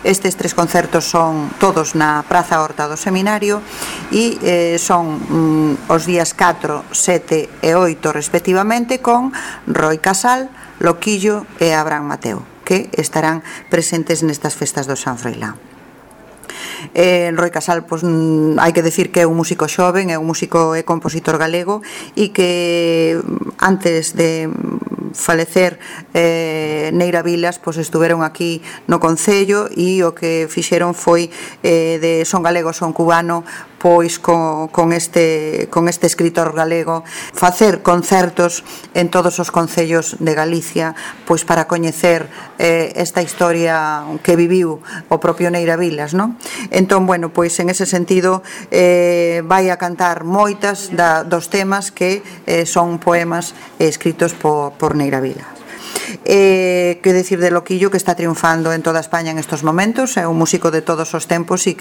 Estes 3 concertos son todos na Praza Horta do Seminario e son os días 4, 7 e 8 respectivamente, con Roi Casal, Loquillo e Abraham Mateo, que estarán presentes nestas festas do San Froilán. Roi Casal, pois, hai que decir que é un músico xoven, é un músico e compositor galego e que antes de falecer Neira Vilas, pois estuveron aquí no Concello e o que fixeron foi de son galego, son cubano, pois con este escritor galego facer concertos en todos os concellos de Galicia, pois para coñecer esta historia que viviu o propio Neira Vilas, non? Entón, bueno, pois en ese sentido vai a cantar moitas dos temas que son poemas escritos por Neira Vilas. Que decir de Loquillo, que está triunfando en toda España en estos momentos, é un músico de todos os tempos e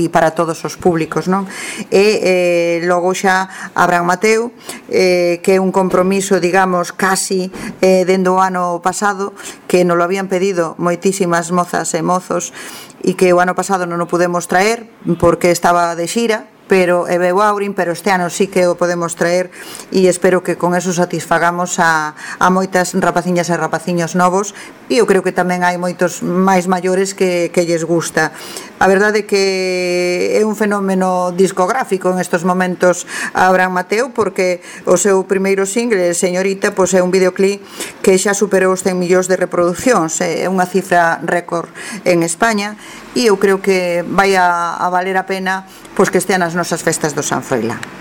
para todos os públicos, non? E logo xa Abraham Mateo, que é un compromiso, digamos, casi dende o ano pasado, que nos lo habían pedido moitísimas mozas e mozos e que o ano pasado non o pudemos traer porque estaba de xira, pero veu Aurin, pero este ano sí que o podemos traer e espero que con eso satisfagamos a moitas rapaciñas e rapaciños novos, e eu creo que tamén hai moitos máis maiores que lles gusta. A verdade é que é un fenómeno discográfico en estos momentos Abraham Mateo, porque o seu primeiro single, Señorita, pois é un videoclip que xa superou os 100 millóns de reproduccións, é unha cifra récord en España, e eu creo que vai a valer a pena pois que estean as nosas festas do San Froilán.